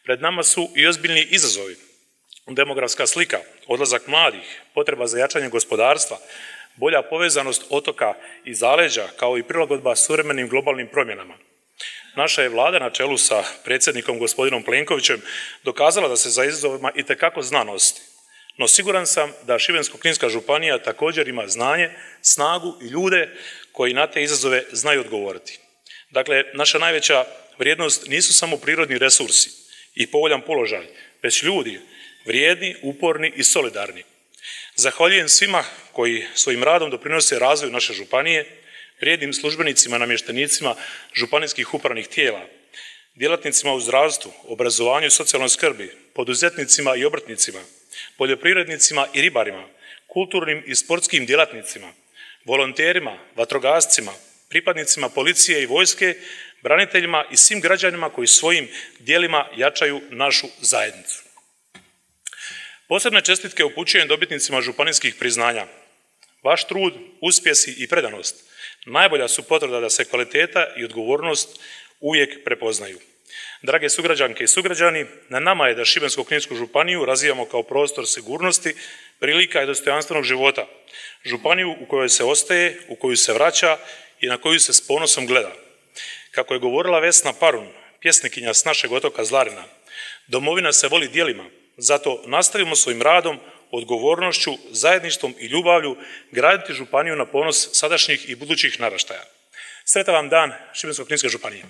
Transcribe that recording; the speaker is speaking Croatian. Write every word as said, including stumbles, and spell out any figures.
Pred nama su i ozbiljni izazovi. Demografska slika, odlazak mladih, potreba za jačanje gospodarstva, bolja povezanost otoka i zaleđa, kao i prilagodba suvremenim globalnim promjenama. Naša je vlada na čelu sa predsjednikom gospodinom Plenkovićem dokazala da se za izazovima itekako zna nositi. No siguran sam da Šibensko-kninska županija također ima znanje, snagu i ljude koji na te izazove znaju odgovoriti. Dakle, naša najveća vrijednost nisu samo prirodni resursi i povoljan položaj, već ljudi, vrijedni, uporni i solidarni. Zahvaljujem svima koji svojim radom doprinose razvoju naše županije, vrijednim službenicima, namještenicima županijskih upravnih tijela, djelatnicima u zdravstvu, obrazovanju i socijalnoj skrbi, poduzetnicima i obrtnicima, poljoprivrednicima i ribarima, kulturnim i sportskim djelatnicima, volonterima, vatrogascima, pripadnicima policije i vojske, braniteljima i svim građanima koji svojim djelima jačaju našu zajednicu. Posebne čestitke upućujem dobitnicima županijskih priznanja. Vaš trud, uspjesi i predanost najbolja su potvrda da se kvaliteta i odgovornost uvijek prepoznaju. Drage sugrađanke i sugrađani, na nama je da Šibensko-kninsku županiju razvijamo kao prostor sigurnosti, prilika i dostojanstvenog života. Županiju u kojoj se ostaje, u koju se vraća i na koju se s ponosom gleda. Kako je govorila Vesna Parun, pjesnikinja s našeg otoka Zlarina, domovina se voli djelima, zato nastavimo svojim radom, odgovornošću, zajedništvom i ljubavlju graditi županiju na ponos sadašnjih i budućih naraštaja. Sretan vam dan Šibensko-kninske županije.